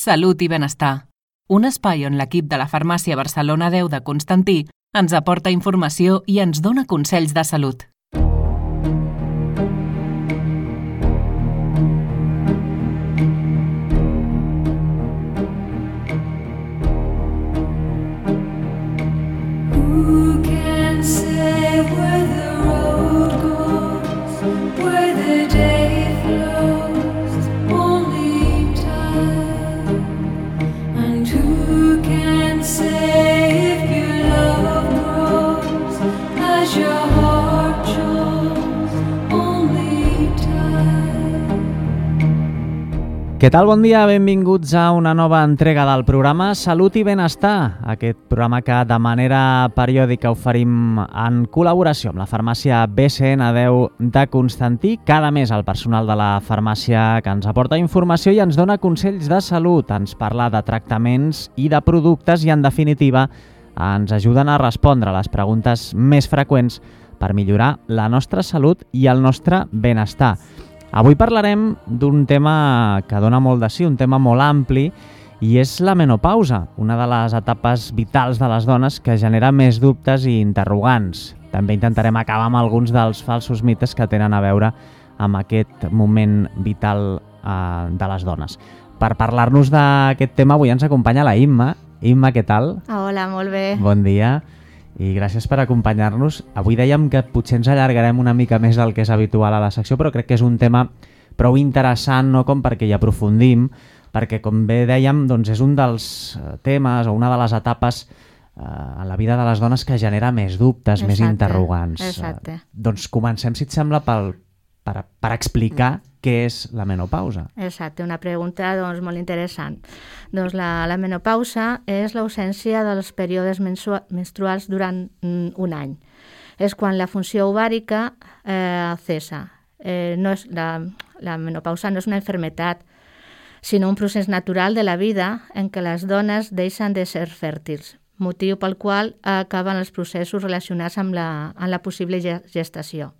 Salut i benestar. Un espai on l'equip de la Farmàcia Barcelona 10 de Constantí ens aporta informació i ens dona consells de salut. Who can say where the road goes, where the day flows, only time. And who can say if your love grows as your heart chose, only time. Què tal? Bon dia, benvinguts a una nova entrega del programa Salut i Benestar, aquest programa que de manera periòdica oferim en col·laboració amb la farmàcia BCN10 de Constantí. Cada mes el personal de la farmàcia que ens aporta informació i ens dona consells de salut, ens parla de tractaments i de productes i, en definitiva, ens ajuden a respondre a les preguntes més freqüents per millorar la nostra salut i el nostre benestar. Avui parlarem d'un tema que dona molt de sí, un tema molt ampli, i és la menopausa, una de les etapes vitals de les dones que genera més dubtes i interrogants. També intentarem acabar amb alguns dels falsos mites que tenen a veure amb aquest moment vital de les dones. Per parlar-nos d'aquest tema avui ens acompanya la Imma. Imma, què tal? Hola, molt bé. Bon dia. I gràcies per acompanyar-nos. Avui dèiem que potser ens allargarem una mica més del que és habitual a la secció, però crec que és un tema prou interessant, no?, com perquè hi aprofundim, perquè, com bé dèiem, doncs és un dels temes o una de les etapes en la vida de les dones que genera més dubtes, més interrogants. Exacte. Doncs comencem, si et sembla, per explicar què és la menopausa. Exacte, una pregunta doncs, molt interessant. Doncs la menopausa és l'ausència dels períodes menstruals durant un any. És quan la funció ovàrica cessa. No és, la menopausa no és una malaltia, sinó un procés natural de la vida en què les dones deixen de ser fèrtils, motiu pel qual acaben els processos relacionats amb la possible gestació.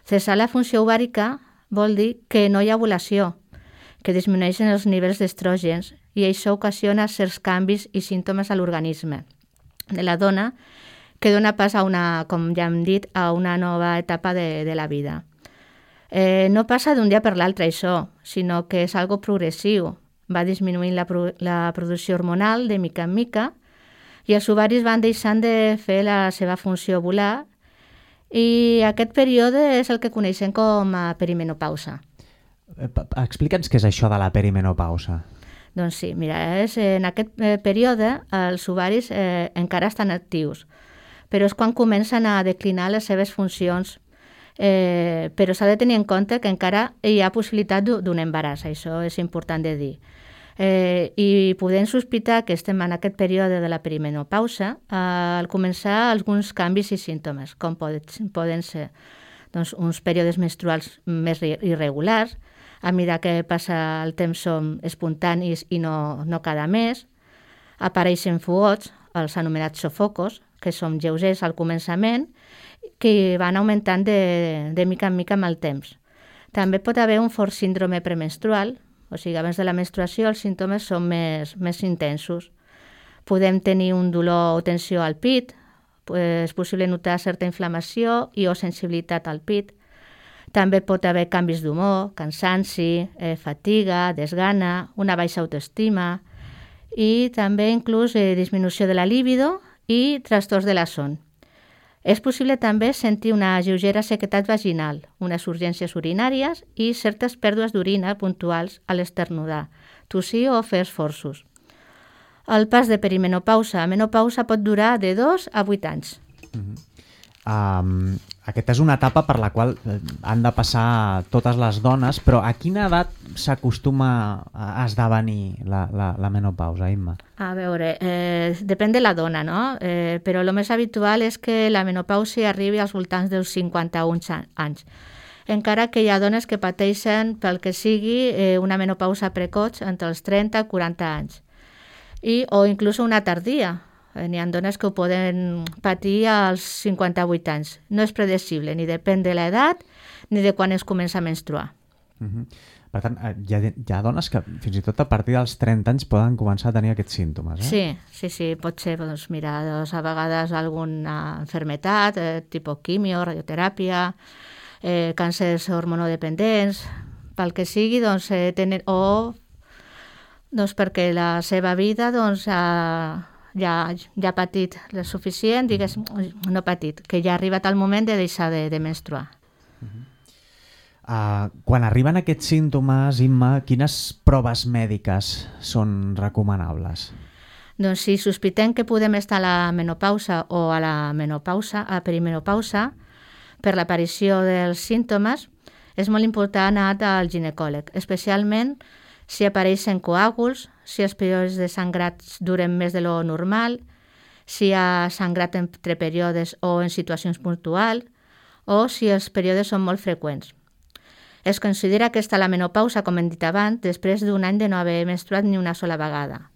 Cessar la funció ovàrica vol dir que no hi ha ovulació, que disminueixen els nivells d'estrògens i això ocasiona certs canvis i símptomes a l'organisme de la dona que dona pas a com ja hem dit, a una nova etapa de la vida. No passa d'un dia per l'altre això, sinó que és algo progressiu. Va disminuint la producció hormonal de mica en mica i els ovaris van deixant de fer la seva funció ovular i aquest període és el que coneixem com a perimenopausa. Explica'ns què és això de la perimenopausa. Doncs sí, mira, en aquest període els ovaris encara estan actius, però és quan comencen a declinar les seves funcions, però s'ha de tenir en compte que encara hi ha possibilitat d'un embaràs, això és important de dir. I podem sospitar que estem en aquest període de la perimenopausa al començar alguns canvis i símptomes, com poden ser doncs, uns períodes menstruals més irregulars, a mesura que passa el temps som espontanis i no cada mes, apareixen fugots, els anomenats sofocos, que són lleugers al començament, que van augmentant de mica en mica amb el temps. També pot haver un fort síndrome premenstrual, o sigui, abans de la menstruació els símptomes són més intensos. Podem tenir un dolor o tensió al pit, és possible notar certa inflamació o sensibilitat al pit. També pot haver canvis d'humor, cansanci, fatiga, desgana, una baixa autoestima i també inclús disminució de la libido i trastorns de la son. És possible també sentir una lleugera sequedat vaginal, unes urgències urinàries i certes pèrdues d'orina puntuals a l'esternudar, tossir o fer esforços. El pas de perimenopausa a menopausa pot durar de 2 a 8 anys. Aquesta és una etapa per la qual han de passar totes les dones, però a quina edat s'acostuma a esdevenir la menopausa, Imma? A veure, depèn de la dona, no? Però el més habitual és que la menopausa arribi als voltants dels 51 anys. Encara que hi ha dones que pateixen pel que sigui una menopausa precoç entre els 30 i 40 anys. O inclús una tardia. N'hi ha dones que ho poden patir als 58 anys. No és predecible, ni depèn de l'edat ni de quan es comença a menstruar. Per Per tant, hi ha dones que fins i tot a partir dels 30 anys poden començar a tenir aquests símptomes, Sí, pot ser, doncs, mira, a vegades alguna enfermetat, tipus quimio, radioteràpia, càncers hormonodependents, pel que sigui, doncs, tenen, o doncs, perquè la seva vida doncs, ja ha patit el suficient, no patit, que ja ha arribat el moment de deixar de menstruar. Quan arriben aquests símptomes, Imma, quines proves mèdiques són recomanables? Doncs si sospitem que podem estar a la menopausa o a la menopausa, a perimenopausa, per l'aparició dels símptomes, és molt important anar al ginecòleg, especialment si apareixen coàguls, si els períodes de sangrats duren més de lo normal, si hi ha sangrat entre períodes o en situacions puntuals, o si els períodes són molt freqüents. Es considera que està la menopausa, com hem dit abans, després d'un any de no haver menstruat ni una sola vegada.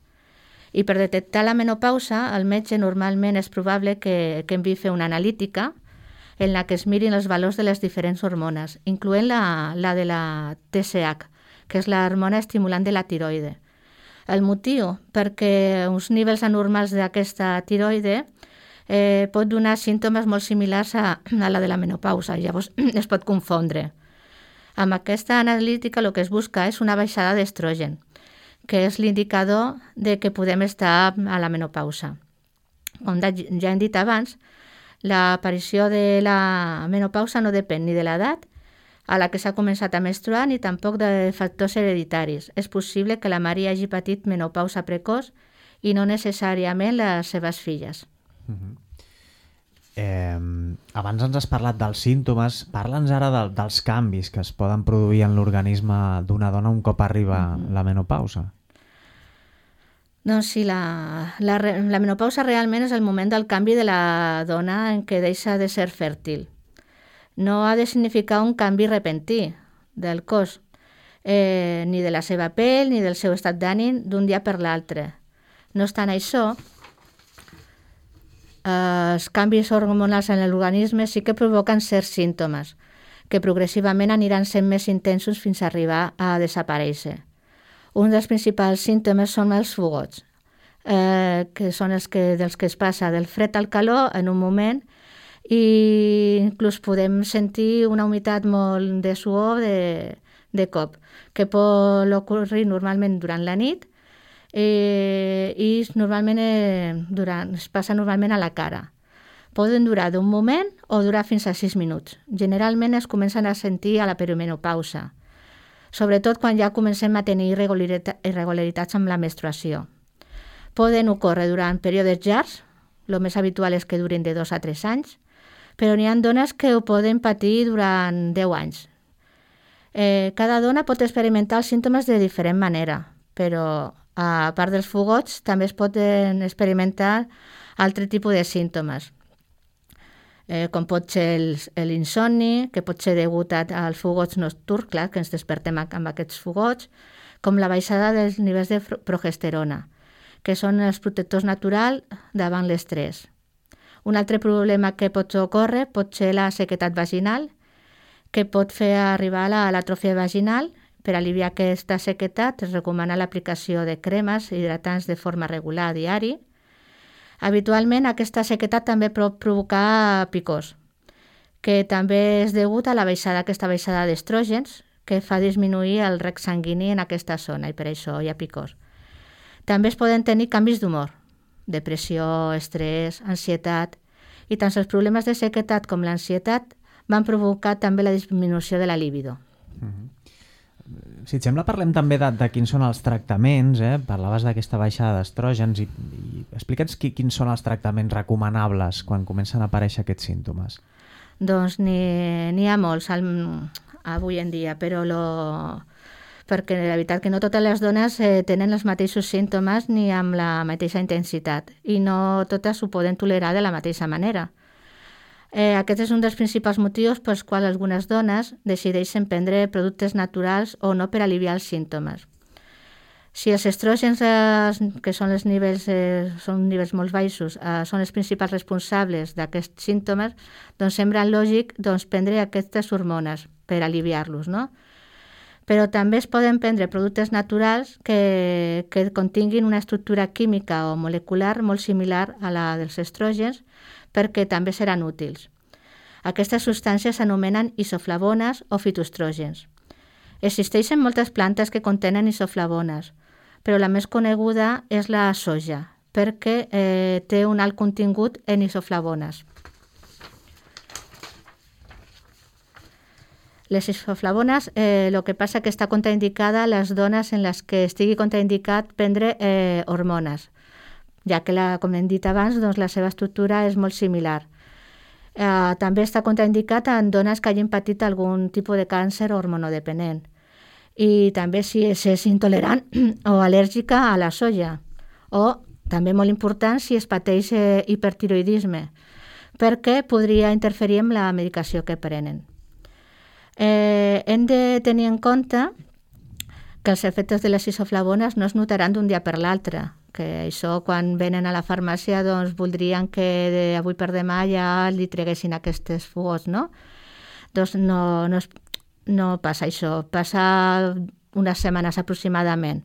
I per detectar la menopausa, el metge normalment és probable que enviï fer una analítica en la que es mirin els valors de les diferents hormones, incloent la de la TSH, que és l'hormona estimulant de la tiroide. El motiu, perquè uns nivells anormals d'aquesta tiroide pot donar símptomes molt similars a la de la menopausa, llavors es pot confondre. Amb aquesta analítica el que es busca és una baixada d'estrogen, que és l'indicador de que podem estar a la menopausa. Com ja hem dit abans, l'aparició de la menopausa no depèn ni de l'edat a la que s'ha començat a menstruar ni tampoc de factors hereditaris. És possible que la mare hagi patit menopausa precoç i no necessàriament les seves filles. Abans ens has parlat dels símptomes, parla'ns ara dels canvis que es poden produir en l'organisme d'una dona un cop arriba la menopausa. Doncs sí, la menopausa realment és el moment del canvi de la dona en què deixa de ser fèrtil. No ha de significar un canvi repentí del cos, ni de la seva pell ni del seu estat d'ànim d'un dia per l'altre. No obstant això, els canvis hormonals en l'organisme sí que provoquen certs símptomes, que progressivament aniran sent més intensos fins a arribar a desaparèixer. Un dels principals símptomes són els fogots, que són dels que es passa del fred al calor en un moment i inclús podem sentir una humitat molt de suor de cop, que pot ocorrir normalment durant la nit i normalment es passa normalment a la cara. Poden durar d'un moment o durar fins a 6 minuts. Generalment es comencen a sentir a la perimenopausa, sobretot quan ja comencem a tenir irregularitats amb la menstruació. Poden ocórrer durant períodes llargs, el més habitual és que durin de 2 a 3 anys, però n'hi ha dones que ho poden patir durant 10 anys. Cada dona pot experimentar els símptomes de diferent manera, però a part dels fogots també es poden experimentar altre tipus de símptomes, com pot ser l'insomni, que pot ser degut als fogots nocturns, clar, que ens despertem amb aquests fogots, com la baixada dels nivells de progesterona, que són els protectors naturals davant l'estrès. Un altre problema que pot ocórrer pot ser la sequedat vaginal, que pot fer arribar a l'atròfia vaginal. Per aliviar aquesta sequedat es recomana l'aplicació de cremes hidratants de forma regular a diari. Habitualment aquesta sequedat també pot provocar picors, que també és degut a aquesta baixada d'estrògens que fa disminuir el rec sanguini en aquesta zona i per això hi ha picors. També es poden tenir canvis d'humor, depressió, estrès, ansietat, i tant els problemes de sequedat com l'ansietat van provocar també la disminució de la libido. Si et sembla, parlem també de quins són els tractaments, parlaves d'aquesta baixada d'estrògens i explica'ns quins són els tractaments recomanables quan comencen a aparèixer aquests símptomes. Doncs n'hi ha molts avui en dia, però perquè la veritat que no totes les dones tenen els mateixos símptomes ni amb la mateixa intensitat i no totes ho poden tolerar de la mateixa manera. Aquest és un dels principals motius pels quals algunes dones decideixen prendre productes naturals o no per aliviar els símptomes. Si els estrògens, que són nivells molt baixos, són els principals responsables d'aquests símptomes, doncs sembla lògic prendre aquestes hormones per aliviar-los, no? Però també es poden prendre productes naturals que continguin una estructura química o molecular molt similar a la dels estrògens, perquè també seran útils. Aquestes substàncies s'anomenen isoflavones o fitoestrògens. Existeixen moltes plantes que contenen isoflavones, però la més coneguda és la soja, perquè té un alt contingut en isoflavones. Les isoflavones, el que passa que està contraindicada a les dones en les que estigui contraindicat prendre hormones, ja que, com hem dit abans, doncs, la seva estructura és molt similar. També està contraindicat en dones que hagin patit algun tipus de càncer hormonodependent. I també si és intolerant o al·lèrgica a la soja. O, també molt important, si es pateix hipertiroidisme, perquè podria interferir amb la medicació que prenen. Hem de tenir en compte que els efectes de les isoflavones no es notaran d'un dia per l'altre, que això quan venen a la farmàcia doncs voldrien que avui per demà ja li treguessin aquestes fugos, no? Doncs no passa això, passa unes setmanes aproximadament.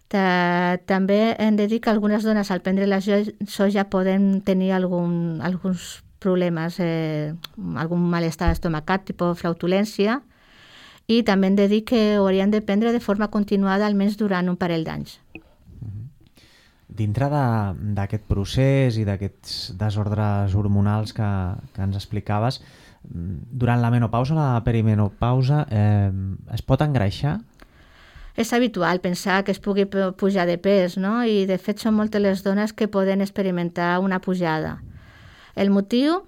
També hem de dir que algunes dones al prendre la soja poden tenir alguns problemes, algun malestar estomacat, tipus flautulència, i també hem de dir que ho haurien de prendre de forma continuada almenys durant un parell d'anys. Dintre d'aquest procés i d'aquests desordres hormonals que ens explicaves, durant la menopausa o la perimenopausa es pot engreixar? És habitual pensar que es pugui pujar de pes, no? I de fet són moltes les dones que poden experimentar una pujada. El motiu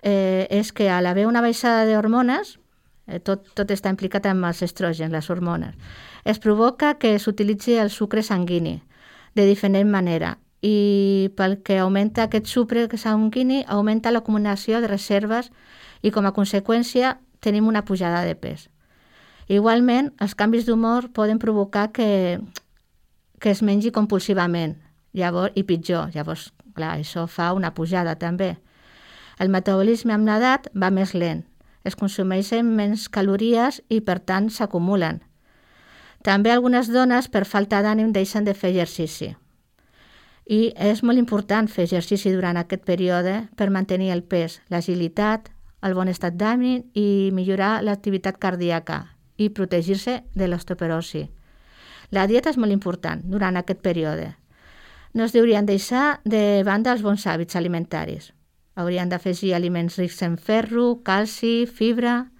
és que a l'haver una baixada d'hormones, tot està implicat amb els estrògens, les hormones, es provoca que s'utilitzi el sucre sanguini de diferent manera i pel que augmenta aquest sucre sanguini augmenta l'acumulació de reserves i com a conseqüència tenim una pujada de pes. Igualment, els canvis d'humor poden provocar que es mengi compulsivament i pitjor. Llavors, clar, això fa una pujada també. El metabolisme amb l'edat va més lent, es consumeixen menys calories i per tant s'acumulen. També algunes dones per falta d'ànim deixen de fer exercici. I és molt important fer exercici durant aquest període per mantenir el pes, l'agilitat, el bon estat d'ànim i millorar l'activitat cardíaca i protegir-se de l'osteoporosi. La dieta és molt important durant aquest període. No es deurien deixar de banda els bons hàbits alimentaris. Haurien d'afegir aliments rics en ferro, calci, fibra,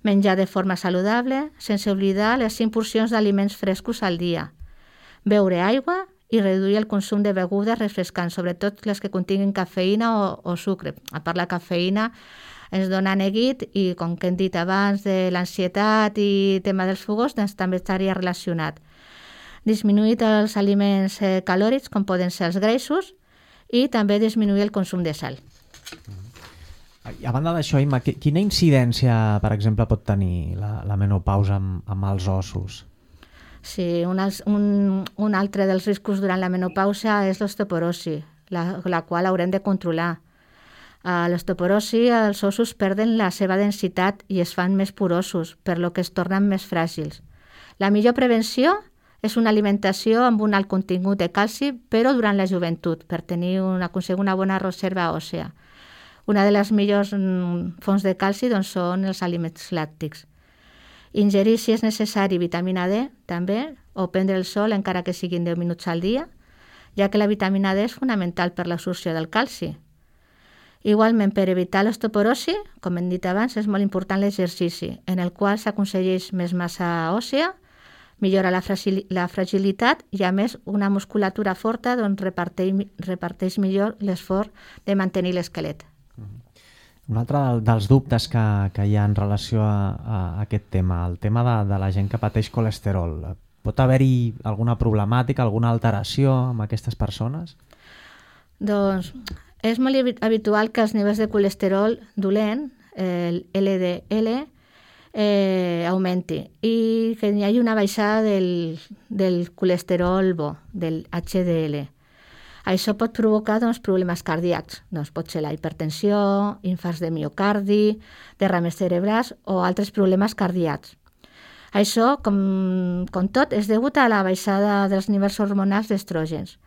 menjar de forma saludable, sense oblidar les 5 porcions d'aliments frescos al dia, beure aigua i reduir el consum de begudes refrescants, sobretot les que continguin cafeïna o sucre. A part, la cafeïna ens dona neguit i, com que hem dit abans, de l'ansietat i tema dels fogons, doncs també estaria relacionat. Disminuir els aliments calòrics, com poden ser els greixos, i també disminuir el consum de sal. A banda d'això, Imma, quina incidència, per exemple, pot tenir la menopausa amb els ossos? Sí, un altre dels riscos durant la menopausa és l'osteoporosi, la qual haurem de controlar. A l'osteoporosi els ossos perden la seva densitat i es fan més porosos, per lo que es tornen més fràgils. La millor prevenció és una alimentació amb un alt contingut de calci, però durant la joventut, per aconseguir una bona reserva òssea. Una de les millors fonts de calci doncs, són els aliments làctics. Ingerir, si és necessari, vitamina D, també, o prendre el sol encara que siguin 10 minuts al dia, ja que la vitamina D és fonamental per l'absorció del calci. Igualment, per evitar l'osteoporosi, com hem dit abans, és molt important l'exercici, en el qual s'aconsegueix més massa òssea, millora la fragilitat i, a més, una musculatura forta doncs, reparteix millor l'esforç de mantenir l'esquelet. Un altre dels dubtes que hi ha en relació a aquest tema, el tema de la gent que pateix colesterol. Pot haver-hi alguna problemàtica, alguna alteració amb aquestes persones? Doncs és molt habitual que els nivells de colesterol dolent, el LDL, augmenti i que hi hagi una baixada del colesterol bo, del HDL. Això pot provocar problemes cardíacs. Pot ser la hipertensió, infarts de miocardi, derrames cerebrals o altres problemes cardíacs. Això, com tot, és degut a la baixada dels nivells hormonals d'estrògens,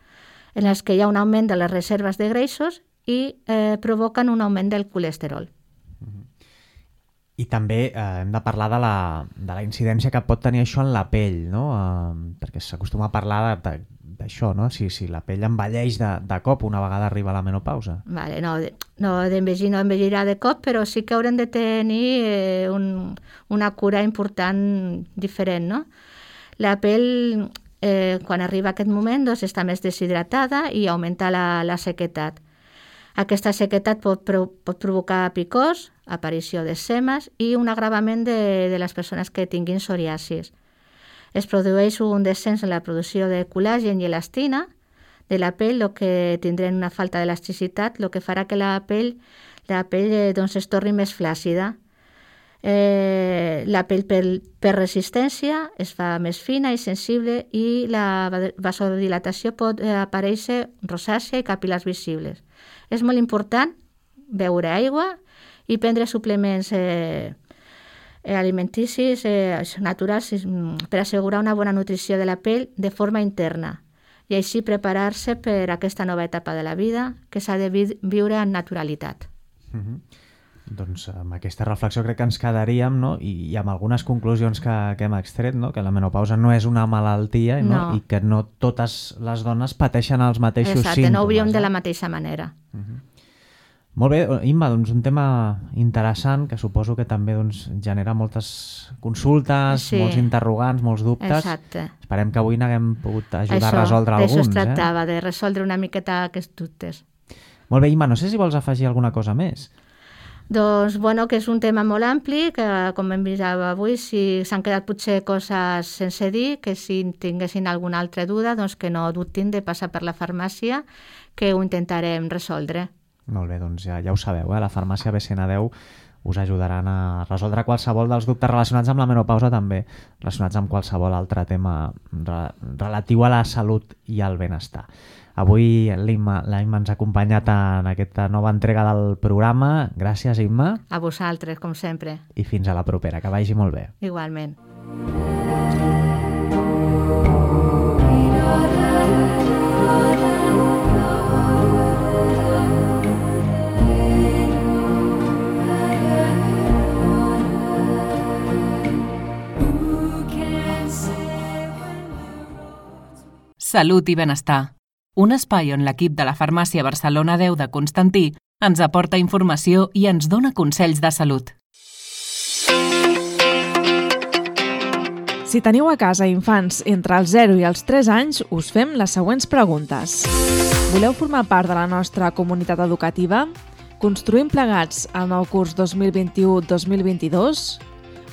en els que hi ha un augment de les reserves de greixos i provoquen un augment del colesterol. I també hem de parlar de la incidència que pot tenir això en la pell, no? Perquè s'acostuma a parlar d'això, no? Si la pell envelleix de cop una vegada arriba la menopausa. Vale, no envellirà de cop, però sí que haurem de tenir una cura important diferent, no? La pell, quan arriba aquest moment, doncs, està més deshidratada i augmenta la sequedat. Aquesta sequedat pot provocar picors, aparició d'eczemes i un agravament de les persones que tinguin psoriasis. Es produeix un descens en la producció de col·làgen i elastina de la pell, el que tindrem una falta d'elasticitat, el que farà que la pell doncs, es torni més flàcida. La pell per resistència es fa més fina i sensible i la vasodilatació pot aparèixer rosàcia i capil·lars visibles. És molt important beure aigua i prendre suplements alimenticis naturals per assegurar una bona nutrició de la pell de forma interna i així preparar-se per a aquesta nova etapa de la vida que s'ha de viure en naturalitat. Doncs amb aquesta reflexió crec que ens quedaríem, no? I amb algunes conclusions que hem extret, no? Que la menopausa no és una malaltia, no? I que no totes les dones pateixen els mateixos símptomes. Exacte, no ho veiem de la mateixa manera. Molt bé, Imma, doncs un tema interessant que suposo que també doncs, genera moltes consultes, molts interrogants, molts dubtes. Exacte. Esperem que avui n'haguem pogut ajudar a resoldre alguns. D'això es tractava, de resoldre una miqueta aquests dubtes. Molt bé, Imma, no sé si vols afegir alguna cosa més. Doncs, bueno, que és un tema molt ampli, que com hem vist avui, si s'han quedat potser coses sense dir, que si tinguessin alguna altra duda, doncs que no dubtin de passar per la farmàcia, que ho intentarem resoldre. Molt bé, doncs ja ho sabeu, la farmàcia BCN10 us ajudaran a resoldre qualsevol dels dubtes relacionats amb la menopausa, també relacionats amb qualsevol altre tema relatiu a la salut i al benestar. Avui l'Imma ens ha acompanyat en aquesta nova entrega del programa. Gràcies, Imma. A vosaltres, com sempre. I fins a la propera, que vagi molt bé. Igualment. Salut i benestar. Un espai on l'equip de la farmàcia Barcelona 10 de Constantí ens aporta informació i ens dona consells de salut. Si teniu a casa infants entre els 0 i els 3 anys, us fem les següents preguntes. Voleu formar part de la nostra comunitat educativa? Construïm plegats el nou curs 2021-2022?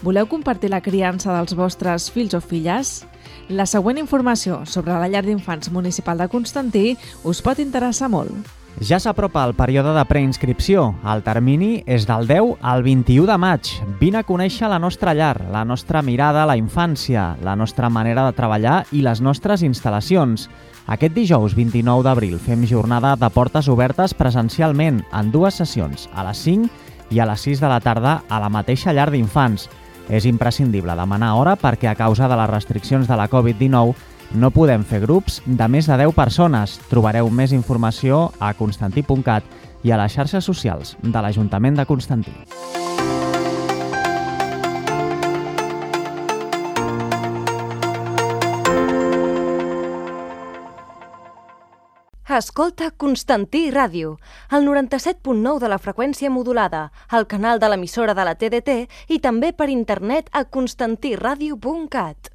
Voleu compartir la criança dels vostres fills o filles? La següent informació sobre la llar d'infants municipal de Constantí us pot interessar molt. Ja s'apropa el període de preinscripció. El termini és del 10 al 21 de maig. Vine a conèixer la nostra llar, la nostra mirada a la infància, la nostra manera de treballar i les nostres instal·lacions. Aquest dijous 29 d'abril fem jornada de portes obertes presencialment en 2 sessions, a les 5 i a les 6 de la tarda a la mateixa llar d'infants. És imprescindible demanar hora perquè a causa de les restriccions de la Covid-19 no podem fer grups de més de 10 persones. Trobareu més informació a constantí.cat i a les xarxes socials de l'Ajuntament de Constantí. Escolta Constantí Ràdio, el 97.9 de la freqüència modulada, el canal de l'emissora de la TDT i també per internet a constantiradio.cat.